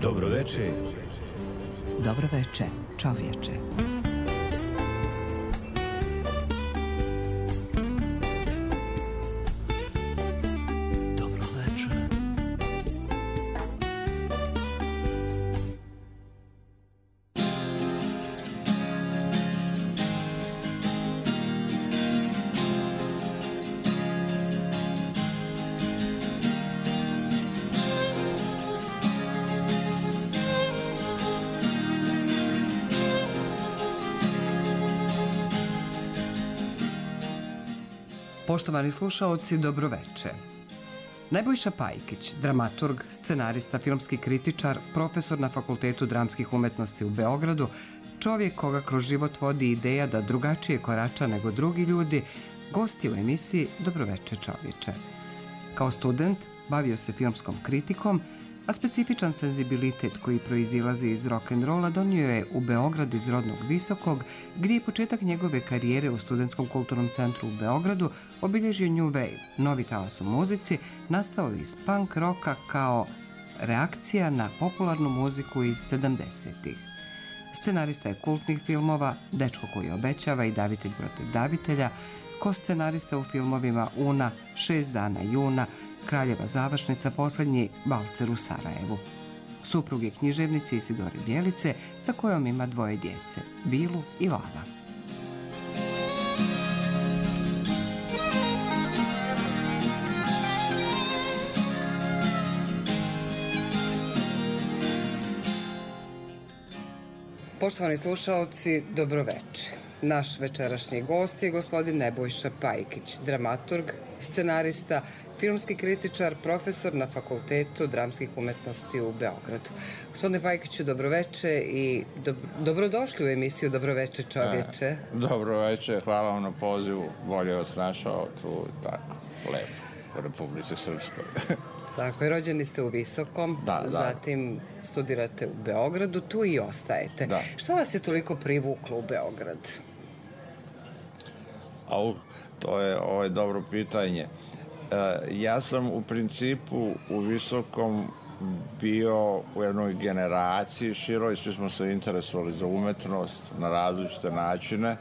Dobroveče. Dobroveče, čovječe. Poštovani slušaoci, dobroveče. Nebojša Pajkić, dramaturg, scenarista, filmski kritičar, profesor na Fakultetu dramskih umetnosti u Beogradu, čovjek koga kroz život vodi ideja da drugačije korača nego drugi ljudi, gost je u emisiji Dobroveče čovječe. Kao student bavio se filmskom kritikom, a specifičan senzibilitet koji proizilazi iz rock'n'rolla donio je u Beograd iz rodnog Visokog, gdje je početak njegove karijere u Studentskom kulturnom centru u Beogradu obilježio New Wave, novi talas u muzici, nastao iz punk roka kao reakcija na popularnu muziku iz 70-ih. Scenarista je kultnih filmova Dečko koji obećava i Davitelj protiv davitelja, ko-scenarista u filmovima Una, 6 dana juna, Kraljeva završnica, posljednji Valcer u Sarajevu. Suprug je književnice Isidore Bjelice, sa kojom ima 2 djece, Bilu i Lava. Poštovani slušaoci, dobroveče. Naš večerašnji gost je gospodin Nebojša Pajkić, dramaturg, scenarista, filmski kritičar, profesor na Fakultetu dramskih umetnosti u Beogradu. Gospodine Pajkiću, dobroveče i dobrodošli u emisiju Dobroveče čovječe. Dobroveče, hvala vam na pozivu. Bolje vas našao tu tako lepo u Republici Srpskoj. Tako je, rođeni ste u Visokom, zatim studirate u Beogradu, tu i ostajete. Da. Što vas je toliko privuklo u Beograd? To je dobro pitanje. Ja sam u principu u Visokom bio u jednoj generaciji široj, svi smo se interesovali za umetnost na različite načine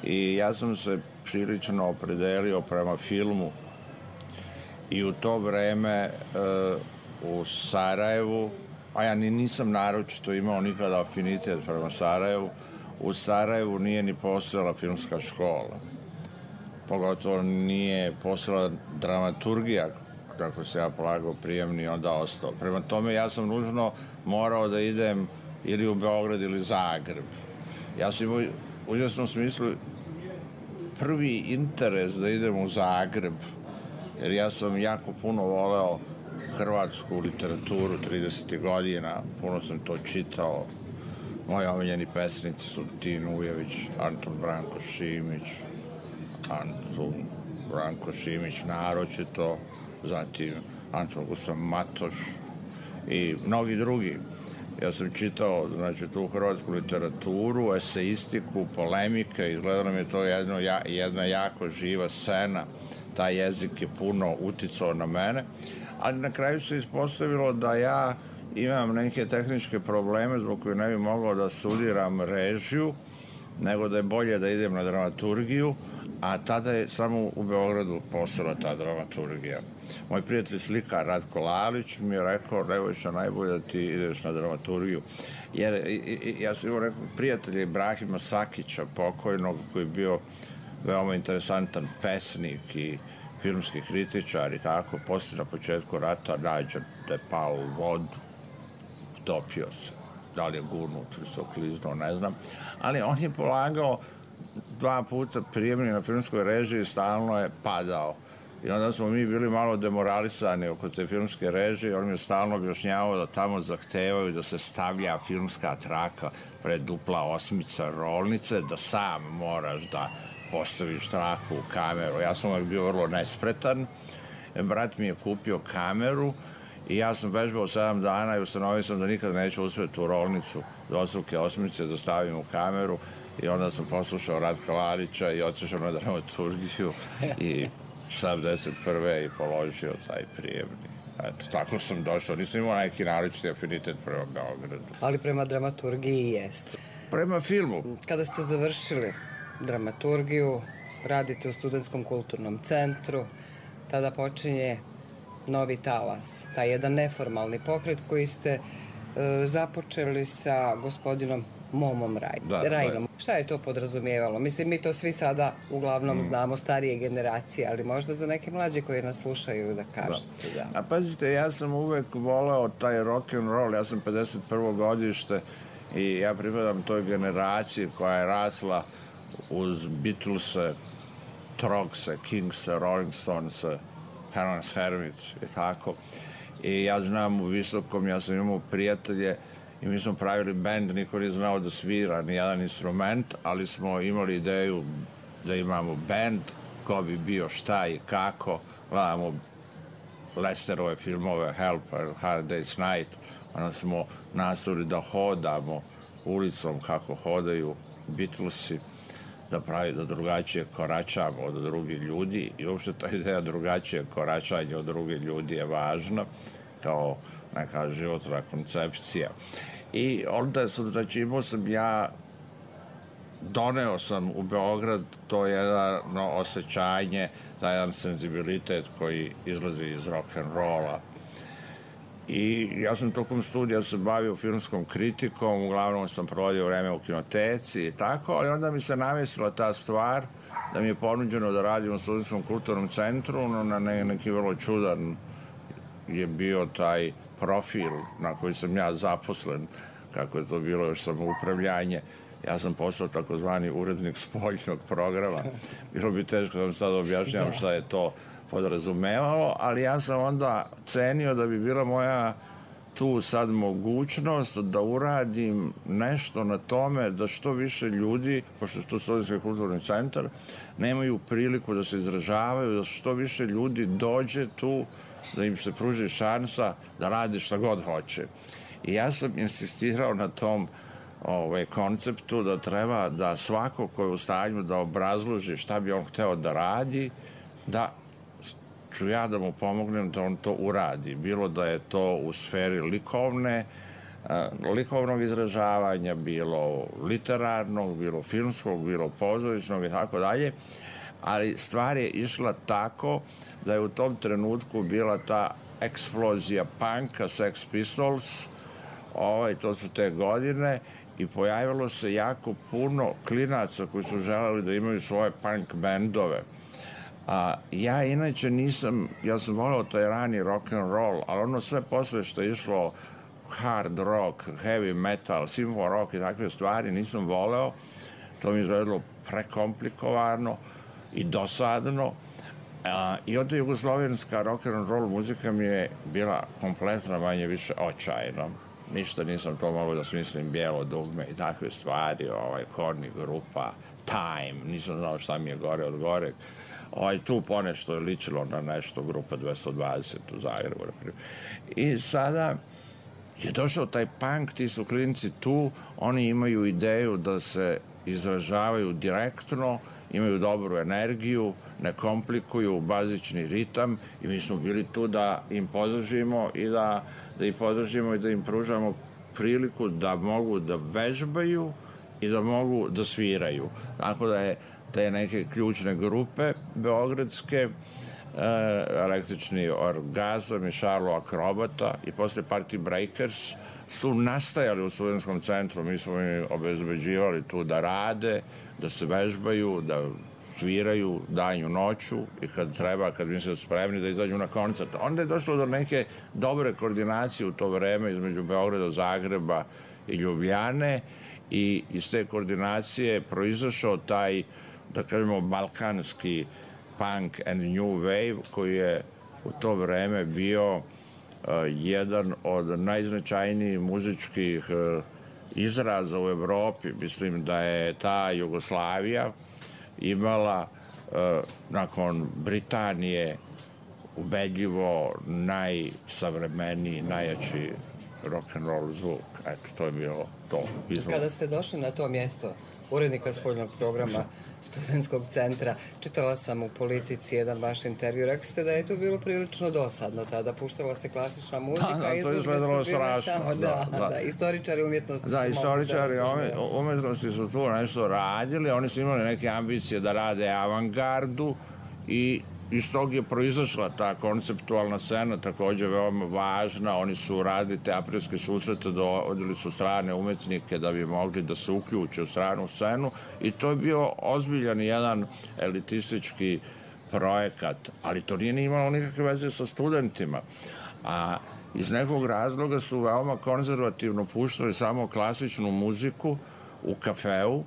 i ja sam se prilično opredelio prema filmu i u to vreme u Sarajevu, a ja nisam naročito imao nikada afinitet prema Sarajevu, u Sarajevu nije ni postojala filmska škola. Pogotovo nije postojala dramaturgija, kako se ja polagao prijemni, onda ostao. Prema tome ja sam nužno morao da idem ili u Beograd ili Zagreb. Ja sam imao u izvesnom smislu prvi interes da idem u Zagreb, jer ja sam jako puno voleo hrvatsku literaturu 30. godina, puno sam to čitao. Moji omiljeni pesnici su Tin Ujević, Anton Branko Šimić, naročito, zatim Anton Gustav Matoš i mnogi drugi. Ja sam čitao, tu hrvatsku literaturu, eseistiku, polemike, izgledalo nam je to jedna jako živa scena. Taj jezik je puno uticao na mene, ali na kraju se ispostavilo da ja imam neke tehničke probleme zbog koje ne bi mogao da studiram režiju, nego da je bolje da idem na dramaturgiju, a tada je samo u Beogradu postojala ta dramaturgija. Moj prijatelj slikar Ratko Lalić mi je rekao, Nebojša, najbolje da ti ideš na dramaturgiju. Jer ja sam imao nekog prijatelja Ibrahima Sakića, pokojnog, koji je bio veoma interesantan pesnik i filmski kritičar i tako. Poslije na početku rata nađen da je pao u vodu, topio se. Da li je gurnut ili se okliznuo, ne znam. Ali on je polagao 2 puta prijemni na filmskoj režiji, stalno je padao. I onda smo mi bili malo demoralisani oko te filmske režije. On mi je stalno objašnjavao da tamo zahtevaju da se stavlja filmska traka pred dupla osmica rolnice, da sam moraš da postaviš traku u kameru. Ja sam uvijek bio vrlo nespretan. Brat mi je kupio kameru i ja sam vežbao 7 dana i ustanovio sam da nikad neću uspjeti u rolnicu dvostruke osmice da stavim u kameru i onda sam poslušao Ratka Lalića i otišao na dramaturgiju i 71. i položio taj prijemni. Eto, tako sam došao. Nisam imao neki naročiti afinitet prema Beogradu. Ali prema dramaturgiji jeste. Prema filmu. Kada ste završili dramaturgiju, radite u Studentskom kulturnom centru, tada počinje novi talas, taj jedan neformalni pokret koji ste započeli sa gospodinom Momom Rajnom. Šta je to podrazumijevalo? Mislim, mi to svi sada uglavnom znamo, starije generacije, ali možda za neke mlađe koji nas slušaju da kažete. A pazite, ja sam uvek voleo taj rock and roll, ja sam 51. godište i ja pripadam toj generaciji koja je rasla uz Beatlese, Trogse, Kingse, Rolling Stonese, Helen's Hermits i tako. I ja znam u Visokom, ja sam imao prijatelje i mi smo pravili bend, niko nije znao da svira ni jedan instrument, ali smo imali ideju da imamo bend, ko bi bio šta i kako. Gledamo Lesterove filmove Help, Hard Day's Night, onda smo nastavili da hodamo ulicom kako hodaju Beatlesi, da drugačije koračamo od drugih ljudi i uopšte ta ideja drugačije koračanja od drugih ljudi je važna kao neka životna koncepcija. I onda sam, znači, imao sam ja, doneo sam u Beograd to jedno osjećanje, taj jedan senzibilitet koji izlazi iz rock'n'rolla. I ja sam tokom studija se bavio filmskom kritikom, uglavnom sam provodio vreme u kinoteci i tako, ali onda mi se namestila ta stvar da mi je ponuđeno da radim u Studentskom kulturnom centru, no na neki vrlo čudan je bio taj profil na koji sam ja zaposlen, kako je to bilo još samoupravljanje. Ja sam postao takozvani urednik spoljnog programa. Bilo bi teško da vam sad objašnjam šta je to podrazumevalo, ali ja sam onda cenio da bi bila moja tu sad mogućnost da uradim nešto na tome da što više ljudi, pošto je to Studentski kulturni centar, nemaju priliku da se izražavaju, da što više ljudi dođe tu, da im se pruži šansa da radi šta god hoće. I ja sam insistirao na tom konceptu da treba da svako ko je u stanju da obrazloži šta bi on hteo da radi, da ću ja da mu pomognem da on to uradi. Bilo da je to u sferi likovnog izražavanja, bilo literarnog, bilo filmskog, bilo pozorišnog i tako dalje, ali stvar je išla tako da je u tom trenutku bila ta eksplozija punka, Sex Pistols, to su te godine, i pojavilo se jako puno klinaca koji su želeli da imaju svoje punk bendove. Ja inače ja sam voleo taj rani rock and roll, ali ono sve posle što je išlo hard rock, heavy metal, simfo rock i takve stvari nisam voleo. To mi izgledalo prekomplikovano i dosadno. I onda jugoslovenska rock and roll muzika mi je bila kompletno manje više očajna. Ništa nisam to mogao da smislim, Bijelo dugme i takve stvari, Korni grupa, Time, nisam znao šta mi je gore od goreg. Tu ponešto je ličilo na nešto grupa 220 u Zagrebu. I sada je došao taj punk, ti su klinci tu, oni imaju ideju da se izražavaju direktno, imaju dobru energiju, ne komplikuju bazični ritam i mi smo bili tu da im podržimo i da ih podržimo i da im pružamo priliku da mogu da vežbaju i da mogu da sviraju. Tako da je te neke ključne grupe beogradske, Električni orgazam i Šarlo Akrobata i posle Party Breakers su nastajali u Studentskom centru. Mi smo im obezbeđivali tu da rade, da se vežbaju, da sviraju danju noću i kad treba, kad misle spremni da izađu na koncert. Onda je došlo do neke dobre koordinacije u to vreme između Beograda, Zagreba i Ljubljane i iz te koordinacije proizašao taj, da kažemo, balkanski punk and new wave koji je u to vreme bio jedan od najznačajnijih muzičkih izraza u Evropi. Mislim da je ta Jugoslavija imala nakon Britanije ubedljivo najsavremeniji, najjači rock'n'roll zvuk. Eto, to je bilo to. Kada ste došli na to mjesto urednika spoljnog programa Studentskog centra, čitala sam u Politici jedan vaš intervju, rekli ste da je to bilo prilično dosadno tada, puštala se klasična muzika, izložbe su bile samo, da, istoričari umjetnosti su mogli. Da, istoričari umjetnosti su tu nešto radili, oni su imali neke ambicije da rade avangardu i iz tog je proizašla ta konceptualna scena, također veoma važna. Oni su radili te aprilske susrete, dovodili su strane umetnike da bi mogli da se uključe u stranu scenu i to je bio ozbiljan jedan elitistički projekat, ali to nije imalo nikakve veze sa studentima. A iz nekog razloga su veoma konzervativno puštali samo klasičnu muziku u kafeu,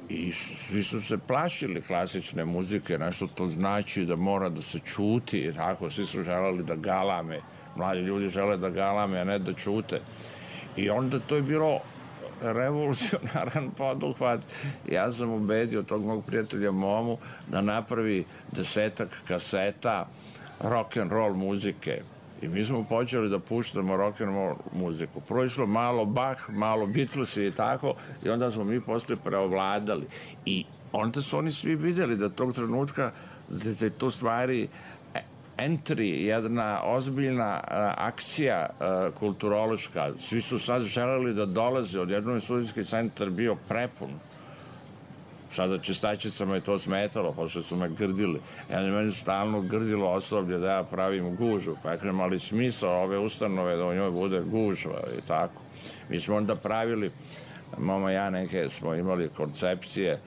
i svi su se plašili klasične muzike, nešto to znači da mora da se čuti, tako, svi su želeli da galame, mladi ljudi žele da galame, a ne da čute. I onda to je bilo revolucionaran poduhvat. Ja sam ubedio tog mog prijatelja Momu da napravi 10 kaseta rock'n'roll muzike. I mi smo počeli da puštamo rock'n'roll muziku. Prvo išlo malo Bach, malo Beatles i tako, i onda smo mi posle preovladali. I onda su oni svi vidjeli da tog trenutka da je to stvari entry, jedna ozbiljna akcija kulturološka. Svi su sad želeli da dolaze, odjednom je studentski centar bio prepun. Sada čistačicama je to smetalo, pošto su me grdili. Meni stalno grdilo osoblje da ja pravim gužu, pa je imali smisao ove ustanove da u njoj bude gužva i tako. Mi smo onda pravili, mama i ja neke smo imali koncepcije,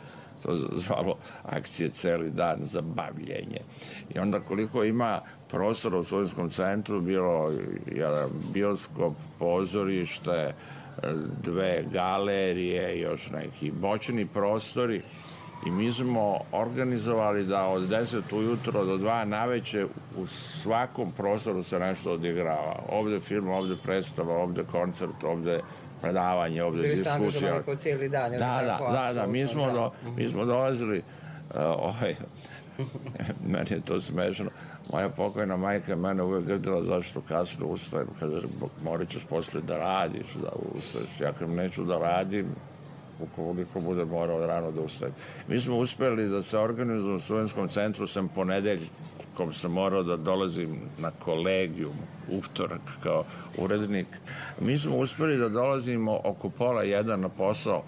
to zvalo akcije celi dan za bavljenje. I onda koliko ima prostora u studentskom centru, bilo jedan bioskop, pozorište, 2 galerije, još neki bočni prostori i mi smo organizovali da od 10 ujutro do 2 naveče u svakom prostoru se nešto odigrava. Ovde film, ovde predstava, ovde koncert, ovde predavanje, ovde diskusija. Bili ste angažovani po cijeli dan? Da, mi smo dolazili, meni je to smešno. Moja pokojna majka mene uvek grdila zašto kasno ustajem. Kaže, morat ćeš posle da radiš, da ustaješ. Ja kad neću da radim, ukoliko bude morao rano da ustajem. Mi smo uspeli da se organizujemo u studentskom centru, sam ponedeljkom sam morao da dolazim na kolegijum, utorak kao urednik. Mi smo uspeli da dolazimo oko 12:30 na posao,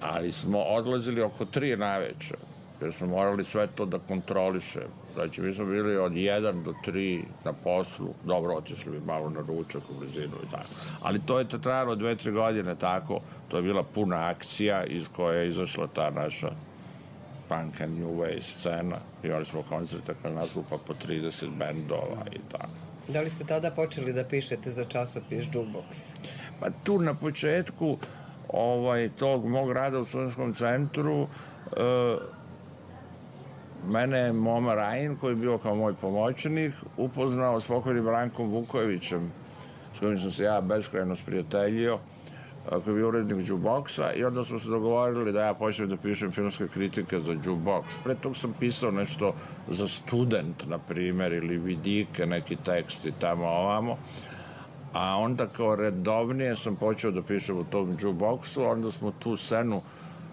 ali smo odlazili oko 3 naveče, jer smo morali sve to da kontrolišemo. Znači, mi smo bili od 1 do 3 na poslu, dobro, otišli bi malo na ručak u blizinu i tako. Ali to je trajalo 2-3 godine tako, to je bila puna akcija iz koje je izašla ta naša punk and new wave scena. Imali smo koncerte kad nastupa po 30 bendova i tako. Da li ste tada počeli da pišete za časopis Jukebox? Pa tu na početku tog mog rada u studentskom centru mene je Moma Rajin, koji je bio kao moj pomoćnik, upoznao s pokojnim Brankom Vukojevićem, s kojim sam se ja beskrajno sprijateljio, koji je bio urednik Jukeboxa, i onda smo se dogovorili da ja počnem da pišem filmske kritike za Jukebox. Pre tog sam pisao nešto za Student, na primjer, ili Vidike, neki teksti tamo ovamo, a onda kao redovnije sam počeo da pišem u tom Jukeboxu, onda smo tu scenu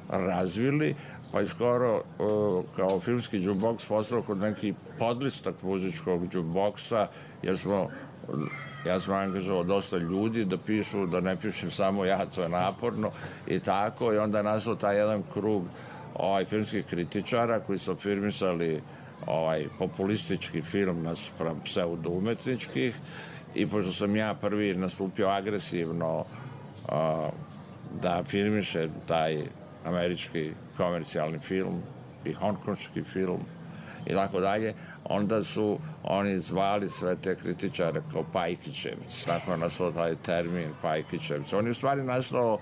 razvili, pa je skoro kao filmski jukebox postao kod neki podlistak muzičkog jukeboxa, jer ja sam angažovao dosta ljudi da pišu, da ne pišem samo ja, to je naporno i tako, i onda je nastao taj jedan krug filmskih kritičara koji su afirmisali populistički film naspram pseudo-umetničkih, i pošto sam ja prvi nastupio agresivno da filmiše taj američki komercijalni film i hongkonški film i tako dalje, onda su oni zvali sve te kritičare kao Pajkićevci. Tako je nastao taj termin Pajkićevci. On je u stvari nastao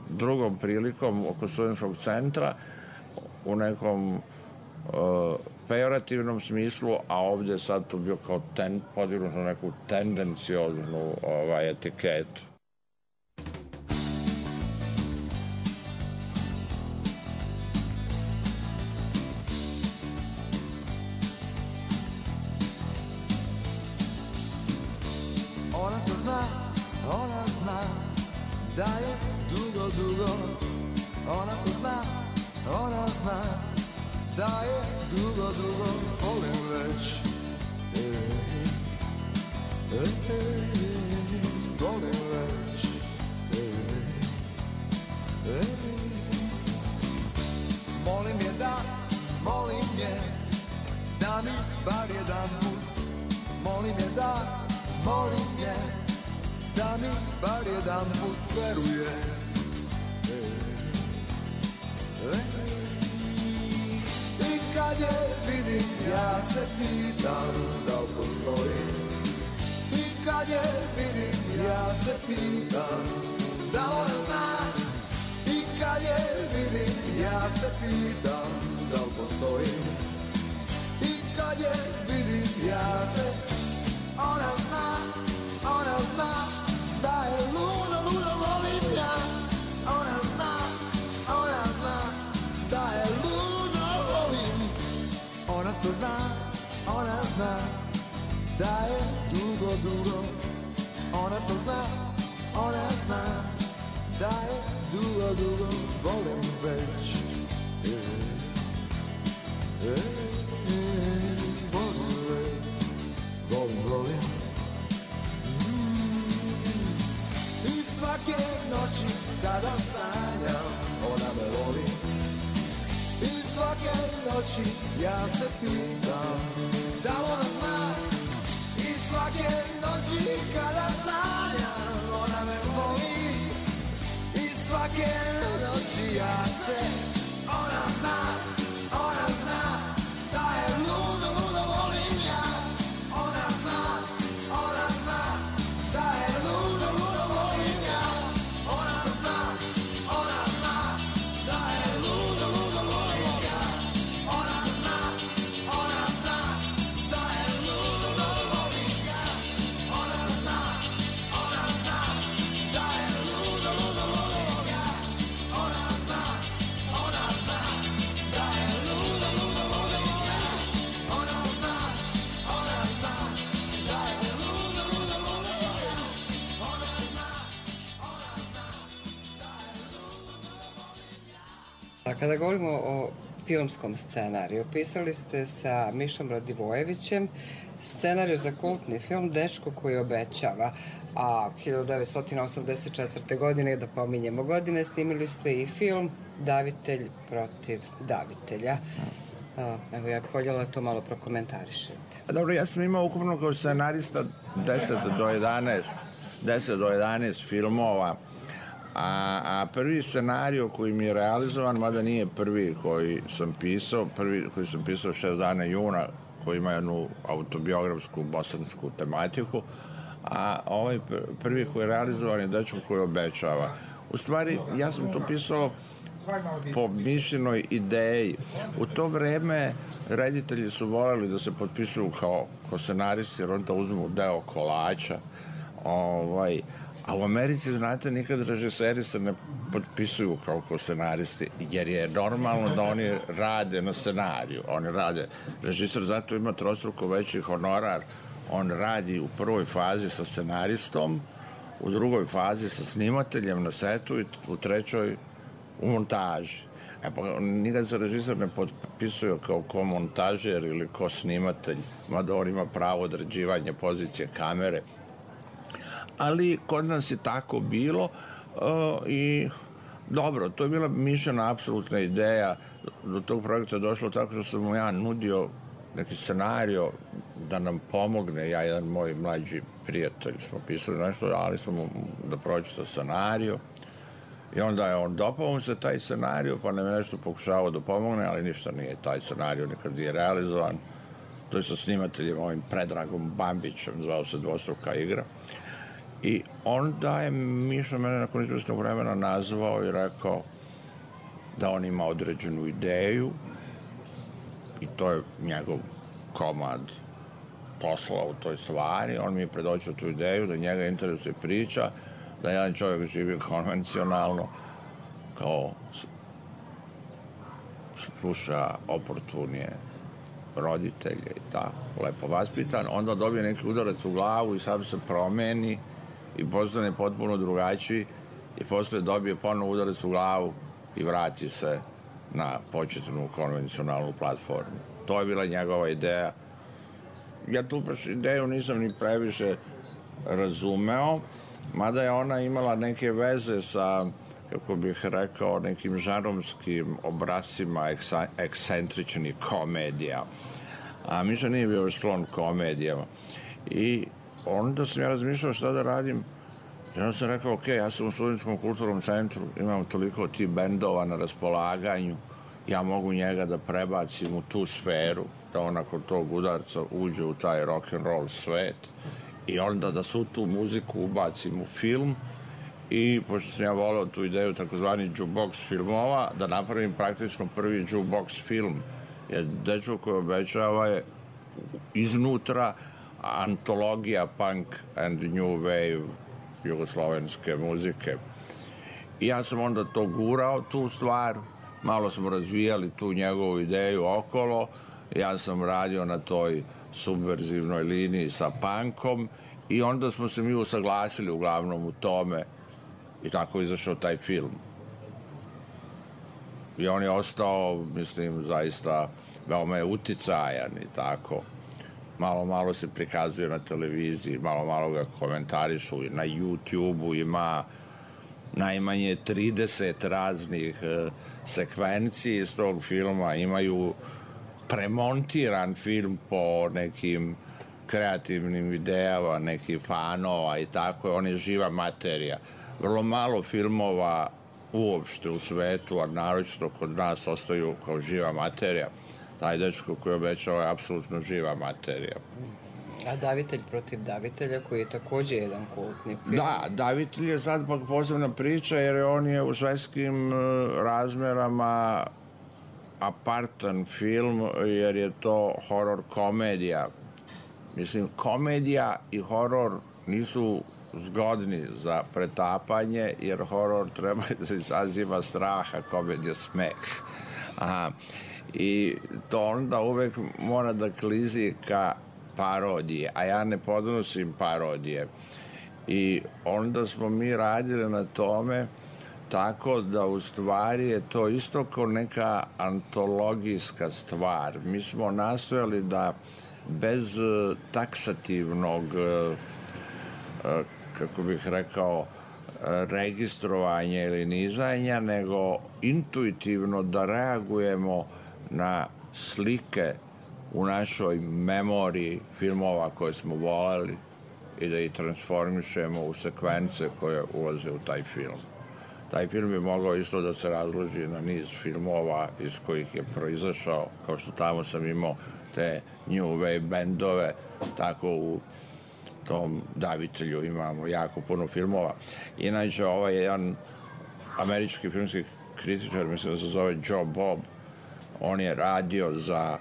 drugom prilikom oko studentskog centra u nekom pejorativnom smislu, a ovdje je sad to bio kao podignuto neku tendencioznu etiketu. da je dugo, dugo. Ona to zna, ona zna da je dugo, dugo volim već. Volim već. Molim je da mi bar jedan put. Molim je da mi bar jedan put veruje. I kad je vidim ja se pitam da li postoji. I kad je vidim ja se pitam da li ona zna. I kad je vidim ja se pitam da li postoji. I kad je vidim ja se ona zna da je ludo, ludo volim ja. Ona zna da je ludo volim. Ona to zna da je dugo, dugo. Ona to zna da je dugo, dugo volim već. Volim. I svake noći kada sanjam, ona me voli. I svake noći ja se pitam da ona zna. I svake noći kada sanjam, ona me voli. I svake noći ja se, ona zna da je ludo, ludo volim ja. Ona zna da je ludo, ludo volim ja. Ona zna da je ludo, ludo volim ja. Ona zna da je ludo, ludo volim ja. Ona zna da je ludo, ludo volim ja. Ona zna da je ludo, ludo volim ja. Ona zna da je ludo, ludo volim ja. Ona zna da je ludo, ludo volim ja. A kada govorimo o filmskom scenariju, pisali ste sa Mišom Radivojevićem scenariju za kultni film Dečko koji obećava, a 1984. godine, da pominjemo godine, snimili ste i film Davitelj protiv davitelja. Evo, ja bih voljela to malo prokomentarišete. Dobro, ja sam imao ukupno kao scenarista 10 do 11 filmova, a prvi scenario koji mi je realizovan, mada nije prvi koji sam pisao, koji sam pisao 6 dana juna, koji ima jednu autobiografsku bosansku tematiku, a ovaj prvi koji je realizovan je Dečko koji obećava. U stvari, ja sam to pisao po mišljenoj ideji. U to vreme reditelji su voleli da se potpisuju kao scenaristi, jer onda uzmu deo kolača. A u Americi, znate, nikad režiseri se ne potpisuju kao scenaristi, jer je normalno da oni rade na scenariju. Oni rade, režiser zato ima trostruko veći honorar. On radi u prvoj fazi sa scenaristom, u drugoj fazi sa snimateljem na setu i u trećoj u montaži. Pa nikad se režiser ne potpisuje kao montažer ili ko snimatelj, mada on ima pravo određivanja pozicije kamere. Ali kod nas je tako bilo i dobro, to je bila mišljena apsolutna ideja. Do tog projekta je došlo tako što sam mu ja nudio neki scenario da nam pomogne, ja i jedan moj mlađi prijatelj smo pisali nešto, ali smo mu da pročita scenario i onda je on dopao mu se taj scenario, pa nam je nešto pokušavao da pomogne, ali ništa nije, taj scenario nikad nije realizovan. To je sa snimateljem ovim Predragom Bambićem, zvao se Dvostruka igra. I onda je Miša mene nakon izvesnog vremena nazvao i rekao da on ima određenu ideju i to je njegov komad posla u toj stvari. On mi je predočio tu ideju da njega interesuje priča, da jedan čovjek živi konvencionalno, kao sluša oportunije roditelje i tako, lepo vaspitan, onda dobije neki udarac u glavu i sam se promeni i postane potpuno drugačiji i posle dobije ponovo udarac u glavu i vrati se na početnu konvencionalnu platformu. To je bila njegova ideja. Ja tu baš ideju nisam ni previše razumeo, mada je ona imala neke veze sa, kako bih rekao, nekim žanrovskim obrascima ekscentričnih komedija. A Miša nije bio sklon komedijama. I onda sam ja razmišljao šta da radim. I onda sam rekao, ok, ja sam u Studentskom kulturnom centru, imam toliko tih bendova na raspolaganju, ja mogu njega da prebacim u tu sferu, da on nakon tog udarca uđe u taj rock'n'roll svet i onda da svu tu muziku ubacim u film i, pošto sam ja voleo tu ideju takozvani jukebox filmova, da napravim praktično prvi jukebox film. Jer dečko koji obećava je iznutra antologija punk and new wave jugoslovenske muzike. I ja sam onda to gurao, tu stvar, malo smo razvijali tu njegovu ideju okolo, ja sam radio na toj subverzivnoj liniji sa punkom i onda smo se mi usaglasili uglavnom u tome i tako izašao taj film. I on je ostao, mislim, zaista veoma je uticajan i tako. Malo se prikazuje na televiziji, malo ga komentarišu, na YouTube-u ima najmanje 30 raznih sekvenciji iz tog filma, imaju premontiran film po nekim kreativnim idejama, nekih fanova i tako, on je živa materija. Vrlo malo filmova uopšte u svetu, a naročito kod nas ostaju kao živa materija. Taj dečko koji obećao je apsolutno živa materija. A Davitelj protiv Davitelja, koji je takođe jedan kultni film. Da, Davitelj je sad pak posebna priča, jer on je u svetskim razmerama apartan film, jer je to horor komedija. Mislim, komedija i horor nisu zgodni za pretapanje, jer horor treba da izaziva strah, a komedija smeh. I to onda uvek mora da klizi ka parodije, a ja ne podnosim parodije. I onda smo mi radili na tome tako da u stvari je to isto kao neka antologijska stvar. Mi smo nastojali da bez taksativnog, kako bih rekao, registrovanja ili nizanja, nego intuitivno da reagujemo na slike u našoj memoriji filmova koje smo voleli i da ih transformišemo u sekvence koje ulaze u taj film. Taj film je mogao isto da se razloži na niz filmova iz kojih je proizašao, kao što tamo sam imao te new wave bendove, tako u tom Davitelju imamo jako puno filmova. Inače, ovaj jedan američki filmski kritičar, mislim da se zove Joe Bob, on je radio za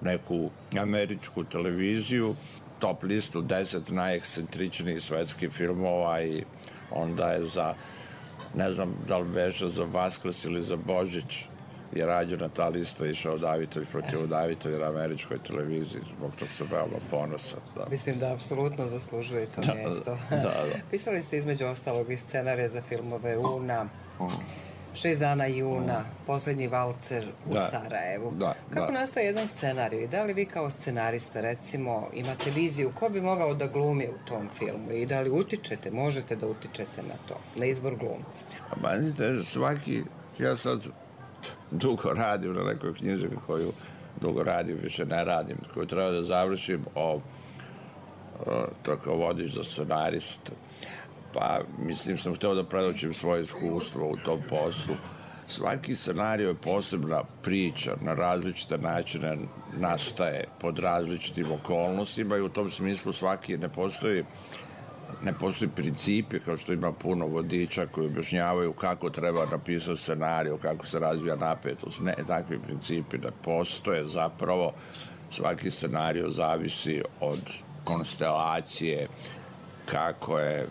neku američku televiziju, top listu 10 najekscentričnijih svetskih filmova i onda je za, ne znam da li beše za Vaskrs ili za Božić, je rađena ta lista, išao Davitelj protiv Davitelja na američkoj televiziji, zbog tog se veoma ponosan. Da. Mislim da apsolutno zaslužuje to mjesto. Da. Pisali ste između ostalog i scenarije za filmove Una, 6 dana juna, Poslednji valcer u Sarajevu. Kako nastaje jedan scenarij? Da li vi kao scenarista, recimo, imate viziju ko bi mogao da glumi u tom filmu i da li utičete, možete da utičete na to, na izbor glumca? Znate, svaki, ja sad dugo radim na nekoj knjizi koju dugo radim, više ne radim, koju treba da završim to kao vodič za scenarista. Pa, mislim, sam hteo da predočim svoje iskustvo u tom poslu. Svaki scenario je posebna priča, na različite načine nastaje pod različitim okolnostima i u tom smislu svaki ne postoji principi, kao što ima puno vodiča koji objašnjavaju kako treba napisati scenariju, kako se razvija napetost. Ne, takvi principi ne postoje. Zapravo, svaki scenario zavisi od konstelacije, kako je,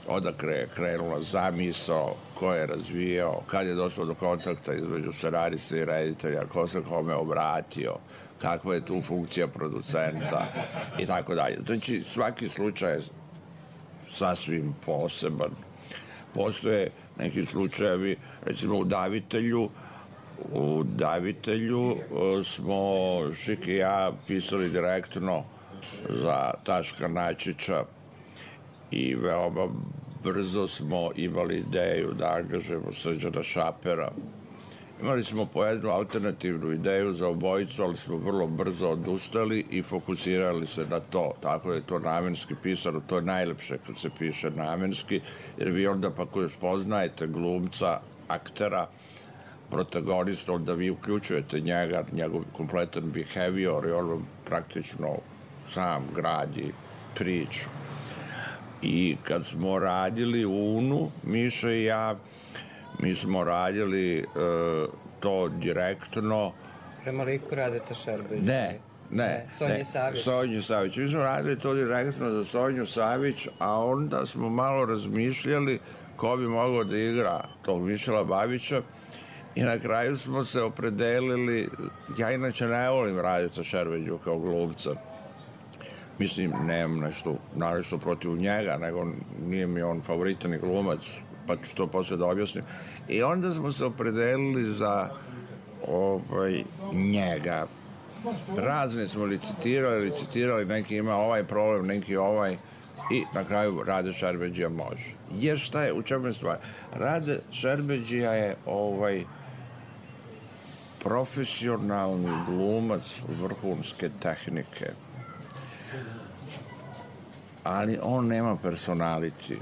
odakle je krenula zamisao, ko je razvijao, kad je došlo do kontakta između scenarista i reditelja, ko se kome obratio, kakva je tu funkcija producenta i tako dalje. Znači, svaki slučaj je sasvim poseban. postoje neki slučajevi, recimo u Davitelju smo Šik i ja pisali direktno za Taška Načića i veoma brzo smo imali ideju da angažujemo Srđana Šapera. Imali smo po jednu alternativnu ideju za obojicu, ali smo vrlo brzo odustali i fokusirali se na to. Tako je to namenski pisano, to je najlepše kad se piše namenski, jer vi onda pa koji spoznajete glumca, aktera, protagonista, onda vi uključujete njega, njegov kompletan behavior i on praktično sam gradi priču. I kad smo radili Unu, Miša i ja, mi smo radili to direktno. Prema liku Radeta Šerbeđa? Ne. Sonje Savić. Mi smo radili to direktno za Sonju Savić, a onda smo malo razmišljali ko bi mogao da igra tog Mišela Babića i na kraju smo se opredelili, ja inače ne volim Radeta Šerbeđu kao glumca. Mislim, nemam nešto protiv njega, nego nije mi on favoritan glumac, pa ću to posle da objasnim. I onda smo se opredelili za njega. Razne smo licitirali, neki ima ovaj problem, neki ovaj, i na kraju Rade Šerbeđija može. Jer šta je, u čemu je stvar? Rade Šerbeđija je profesionalni glumac vrhunske tehnike. Ali on nema personality.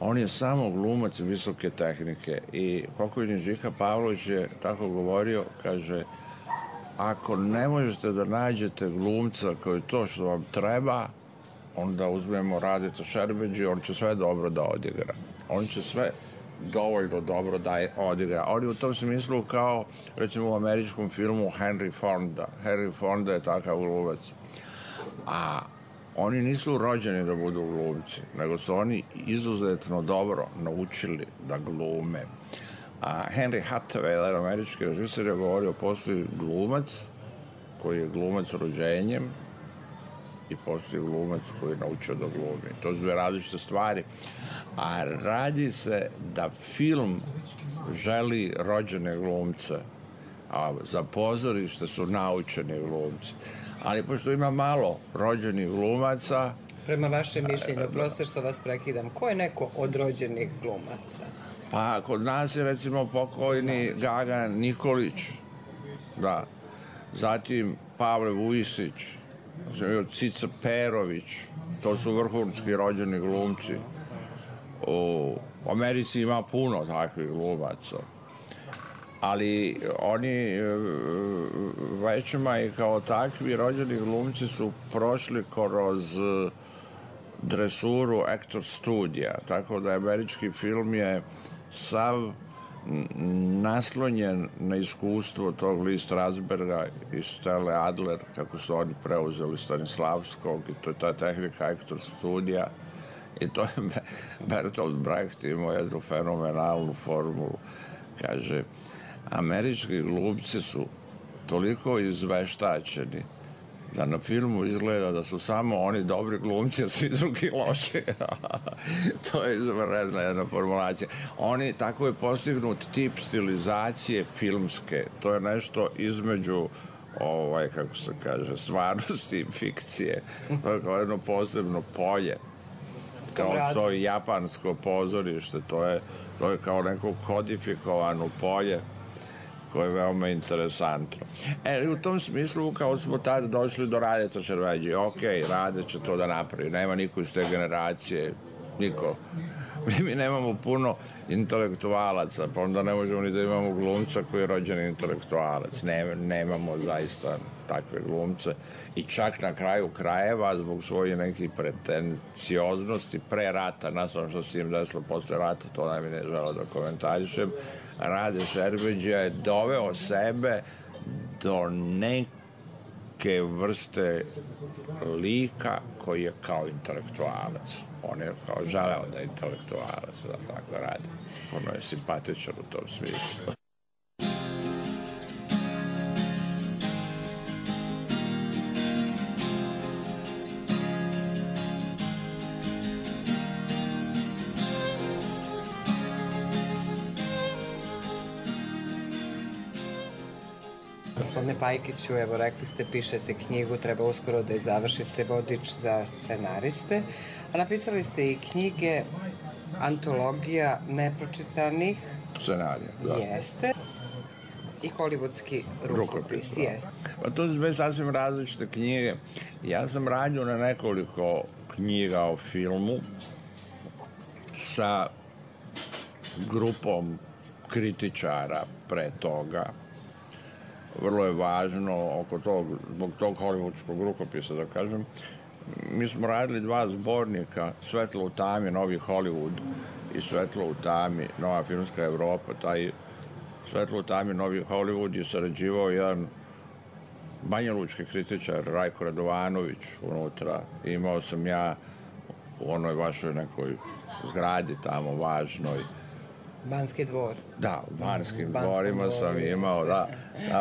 On je samo glumac visoke tehnike i pokojni Žika Pavlović je tako govorio, kaže, ako ne možete da nađete glumca koji je to što vam treba, onda uzmemo Radeta Šerbeđiju, on će sve dobro da odigra. On će sve dovoljno dobro da odigra. On je u tom smislu kao, recimo u američkom filmu Henry Fonda. Henry Fonda je takav glumac. A oni nisu rođeni da budu glumci, nego su oni izuzetno dobro naučili da glume. A Henry Hathaway, jedan američki režiser, je govorio, postoji glumac koji je glumac rođenjem i postoji glumac koji je naučio da glumi. To su dve različite stvari. A radi se da film želi rođene glumce, a za pozorište su naučeni glumci. Ali pošto ima malo rođenih glumaca... Prema vašem mišljenju, prosto što vas prekidam, ko je neko od rođenih glumaca? Pa kod nas je recimo pokojni Gaga Nikolić, da. Zatim Pavle Vujisić, Cica Perović, to su vrhunski rođeni glumci. U Americi ima puno takvih glumaca. Ali oni većima i kao takvi rođeni glumci su prošli kroz dresuru Actor studija, tako da američki film je sav naslonjen na iskustvo tog Lee Strasberga i Stelle Adler, kako su oni preuzeli Stanislavskog, i to je ta tehnika Actor studija. I to je Bertolt Brecht imao jednu fenomenalnu formulu. Kaže, američki glumci su toliko izveštačeni da na filmu izgleda da su samo oni dobri glumci, a svi drugi loši. To je izvanredna jedna formulacija. Oni, tako je postignut tip stilizacije filmske. To je nešto između kako se kaže, stvarnosti i fikcije. To je kao jedno posebno polje. Kao što je japansko pozorište, to je kao neko kodifikovano polje koje je veoma interesantno. U tom smislu, kao smo tada došli do Radeta Šerbeđije, Rade će to da napravi, nema niko iz te generacije, niko. Mi nemamo puno intelektualaca, pa onda ne možemo ni da imamo glumca koji je rođeni intelektualac. Nemamo zaista takve glumce. I čak na kraju krajeva, zbog svoje nekih pretencioznosti, pre rata, nastavno što se im desilo posle rata, to ne mi ne želo da komentarišem, Rade Šerbeđija je doveo sebe do neke vrste lika koji je kao intelektualac. On je kao želeo da je intelektualac, da tako radi. Ono je simpatičan u tom smislu. Gospodine Pajkiću, evo rekli ste, pišete knjigu, treba uskoro da je završite, vodič za scenariste, a napisali ste i knjige, antologija nepročitanih scenarija, da. Jeste. I hollywoodski rukopis, jeste. Pa to su sve sasvim različite knjige. Ja sam radio na nekoliko knjiga o filmu sa grupom kritičara pre toga. Vrlo je važno zbog tog hollywoodskog rukopisa, da kažem. Mi smo radili 2 zbornika, Svetlo u tami, Novi Hollywood i Svetlo u tami, Nova filmska Evropa. Taj Svetlo u tami, Novi Hollywood je sarađivao jedan banjalučki kritičar, Rajko Radovanović, unutra. Imao sam ja u onoj vašoj nekoj zgradi tamo važnoj. Banski dvor. Da, u Banskim dvorima sam imao, da,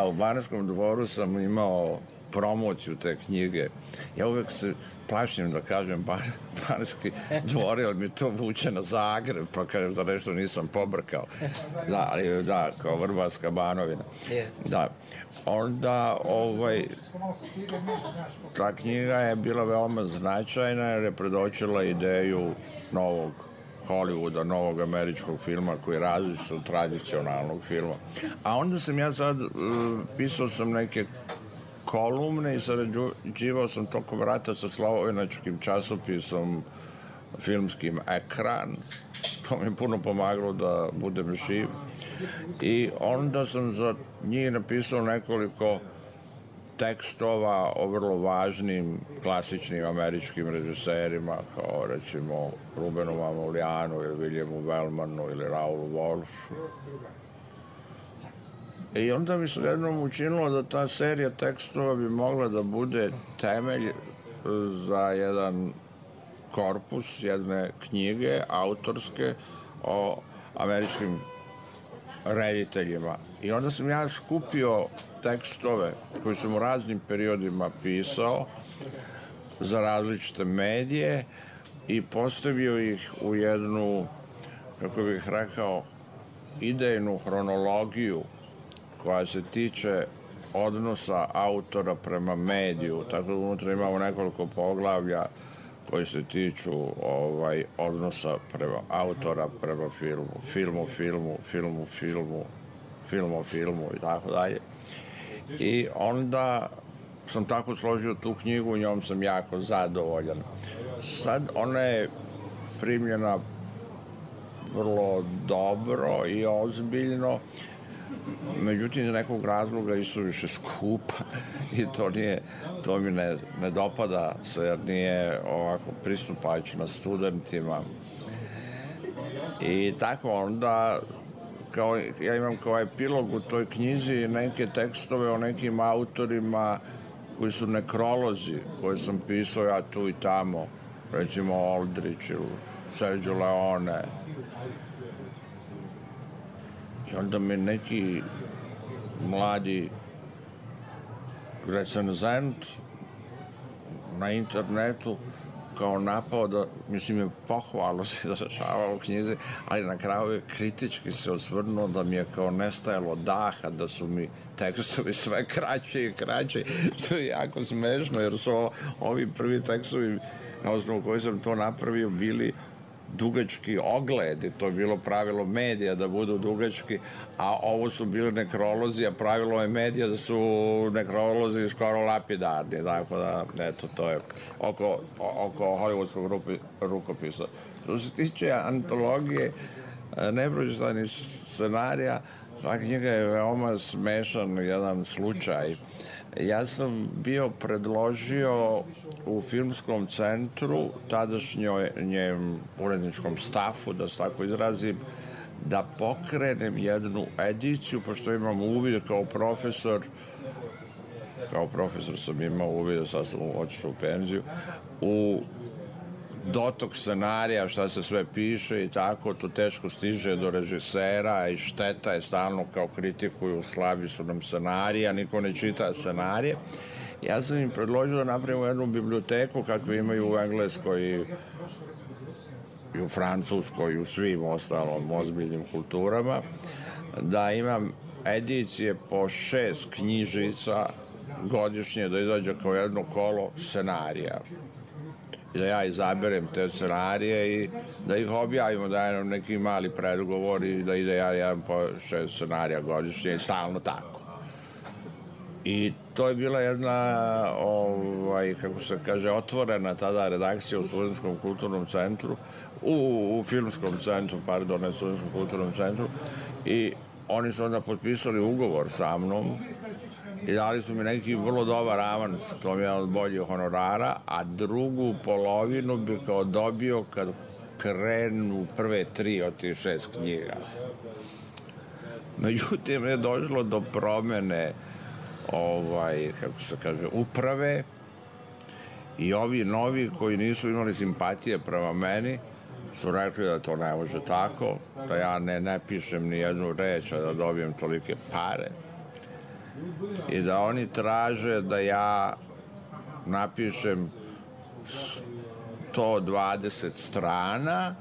u Banskom dvoru sam imao promociju te knjige. Ja uvek se plašim da kažem Banski dvor, ali mi to vuče na Zagreb, pa kažem da nešto nisam pobrkao. Da, ali da, kao Vrbarska Banovina. Da. Onda, ta knjiga je bila veoma značajna jer je predočila ideju novog Hollywooda, novog američkog filma koji je različit od tradicionalnog filma. A onda sam ja sad, pisao sam neke kolumne i sarađivao sam tokom rata sa slovenačkim časopisom filmskim Ekran. To mi je puno pomagalo da budem živ. I onda sam za njih napisao nekoliko tekstova o vrlo važnim klasičnim američkim režiserima, kao recimo Rubenu Mamoulianu ili Williamu Wellmanu ili Raulu Walshu. I onda mi se jednom učinilo da ta serija tekstova bi mogla da bude temelj za jedan korpus, jedne knjige autorske o američkim rediteljima. I onda sam ja skupio tekstove koji sam u raznim periodima pisao za različite medije i postavio ih u jednu, kako bih rekao, idejnu hronologiju koja se tiče odnosa autora prema mediju. Tako da unutra imamo nekoliko poglavlja koji se tiču odnosa prema autora prema filmu i tako dalje. I onda sam tako složio tu knjigu, njom sam jako zadovoljan. Sad ona je primljena vrlo dobro i ozbiljno, međutim iz nekog razloga i suviše skupa i to mi ne dopada se jer nije ovako pristupačno studentima. I tako onda ja imam kao epilog u toj knjizi neke tekstove o nekim autorima koji su nekrolozi koje sam pisao ja tu i tamo, recimo Aldrich ili Sergio Leone. I onda mi neki mladi recenzent na internetu kao napao da, mislim, je pohvalno se izražavao u knjizi, ali na kraju je kritički se osvrnuo da mi je kao nestajalo daha, da su mi tekstovi sve kraći i kraći, što je jako smešno, jer su ovi prvi tekstovi na osnovu koji sam to napravio bili dugački ogledi, to je bilo pravilo medija da budu dugački, a ovo su bili nekrolozi, a pravilo je medija da su nekrolozi skoro lapidarni, tako da, eto, to je oko hollywoodskog rukopisa. Što se tiče antologije nepročitanih scenarija, ta knjiga je veoma smešan jedan slučaj. Ja sam bio predložio u filmskom centru, tadašnjem uredničkom stafu, da se tako izrazim, da pokrenem jednu ediciju, pošto imam uvid kao profesor sam imao uvid, sad sam otišao u penziju, u dotok scenarija, šta se sve piše i tako, to teško stiže do režisera i šteta je stalno kao kritikuju, slabi su nam scenarija, niko ne čita scenarije. Ja sam im predložio da napravimo jednu biblioteku kakve imaju u Engleskoj i u Francuskoj i u svim ostalom ozbiljnim kulturama, da imam edicije po 6 knjižica godišnje, da izađe kao jedno kolo scenarija. I da ja izaberem te scenarije i da ih objavimo, da je nam neki mali predgovor i da ide jedan po 6 scenarija godišnje i stalno tako. I to je bila jedna, kako se kaže, otvorena tada redakcija u Studentskom kulturnom centru, u Filmskom centru, pardon, ne Studentskom kulturnom centru, i oni su onda potpisali ugovor sa mnom i dali su mi neki vrlo dobar avans, to mi je od boljih honorara, a drugu polovinu bi kao dobio kad krenu prve 3 od tih 6 knjiga. Međutim, je došlo do promene kako se kaže, uprave i ovi novi koji nisu imali simpatije prema meni su rekli da to ne može tako, da ja ne pišem ni jednu reč, a da dobijem tolike pare i da oni traže da ja napišem 120 strana,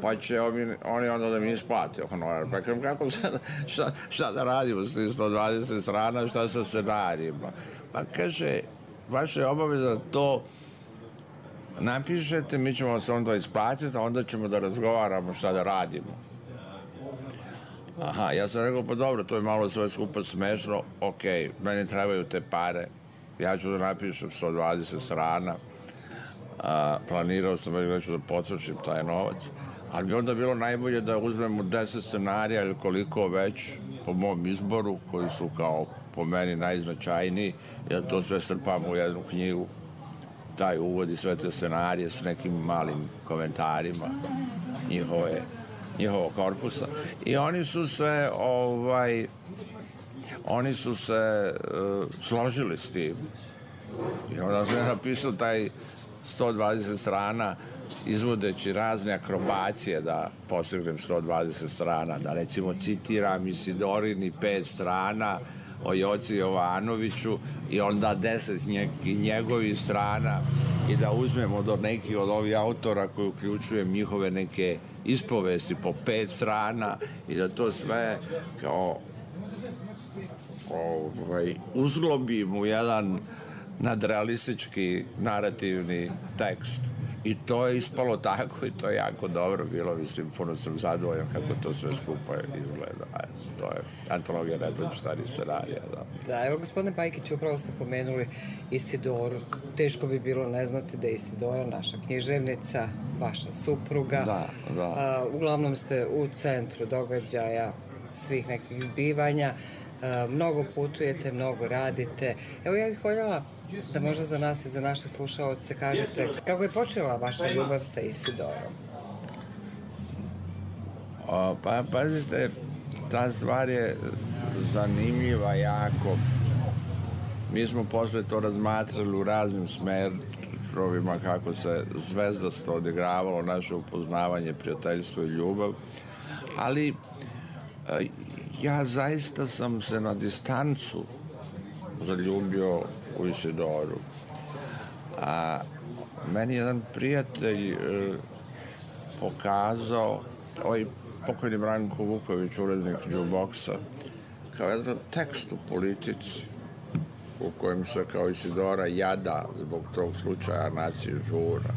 pa će oni onda da mi isplate honorar. Pa kažem, kako sad, šta da radimo s 120 strana, šta sa scenarijima? Pa kaže, vaša je obaveza to napišete, mi ćemo se onda isplatiti, a onda ćemo da razgovaramo šta da radimo. Aha, ja sam rekao, pa dobro, to je malo sve skupa smešno, okej, meni trebaju te pare, ja ću da napišem 120 strana, planirao sam da ću da potrošim taj novac, ali bi onda bilo najbolje da uzmemo 10 scenarija ili koliko već po mom izboru, koji su kao po meni najznačajniji, i da to sve strpamo u jednu knjigu, taj uvod i sve te scenarije s nekim malim komentarima njihovog korpusa. I oni su se složili s tim. I onda sam napisao taj 120 strana izvodeći razne akrobacije da postignem 120 strana, da recimo citiram Isidorini 5 strana o Joci Jovanoviću i onda 10 njegovih strana i da uzmemo do nekih od ovih autora koji uključujem njihove neke ispovesti po 5 strana i da to sve kao uzglobim u jedan nadrealistički narativni tekst. I to je ispalo tako i to je jako dobro bilo, mislim, puno sam zadovoljan kako to sve skupa izgleda. To je antologija nepročitanih scenarija. Da, evo, gospodine Pajkić, upravo ste pomenuli Isidoru. Teško bi bilo ne znati da je Isidora naša književnica, vaša supruga. Da. Uglavnom ste u centru događaja svih nekih zbivanja. Mnogo putujete, mnogo radite. Evo, ja bih voljela da možda za nas i za naše slušaoce kažete kako je počela vaša ljubav sa Isidorom? Pa, pazite, ta stvar je zanimljiva jako. Mi smo posle to razmatrali u raznim smerovima kako se zvezdasto odigravalo naše upoznavanje, prijateljstvo i ljubav, ali ja zaista sam se na distancu zaljubio u Isidoru. A meni jedan prijatelj pokazao, ovaj pokojni Branko Vuković, urednik Jukeboxa, kao jedan tekst u Politici u kojem se kao Isidora jada zbog tog slučaja nacije Žura.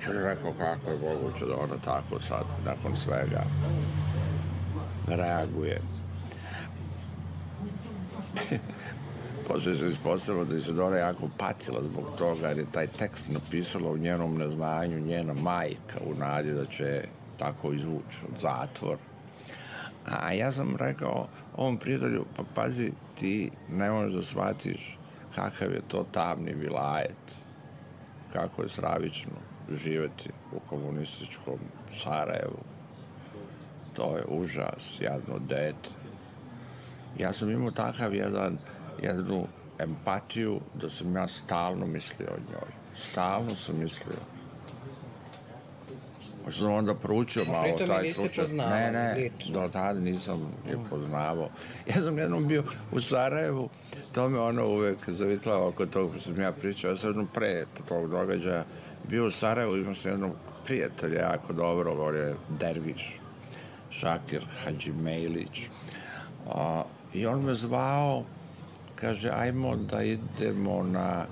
I on je rekao kako je moguće da ona tako sad, nakon svega, reaguje. Poslije se ispostavilo da Isidora jako patila zbog toga jer je taj tekst napisala u njenom neznanju njena majka u nadi da će tako izvući od zatvora. A ja sam rekao ovom prijatelju, pa pazi, ti ne možeš da shvatiš kakav je to tamni vilajet, kako je stravično živjeti u komunističkom Sarajevu. To je užas, jadno dete. Ja sam imao takav jednu empatiju da sam ja stalno mislio o njoj. Stalno sam mislio. Možda sam onda proučio malo taj slučaj. Ne, do tada nisam je poznavao. Ja sam jednom bio u Sarajevu, to me ono uvek zavitlao oko toga što sam ja pričao. Ja sam jednom pre tog događaja bio u Sarajevu, imao sam jednog prijatelja jako dobro, on je derviš. Šakir Hadžimejlić. I on me zvao, kaže, ajmo da idemo na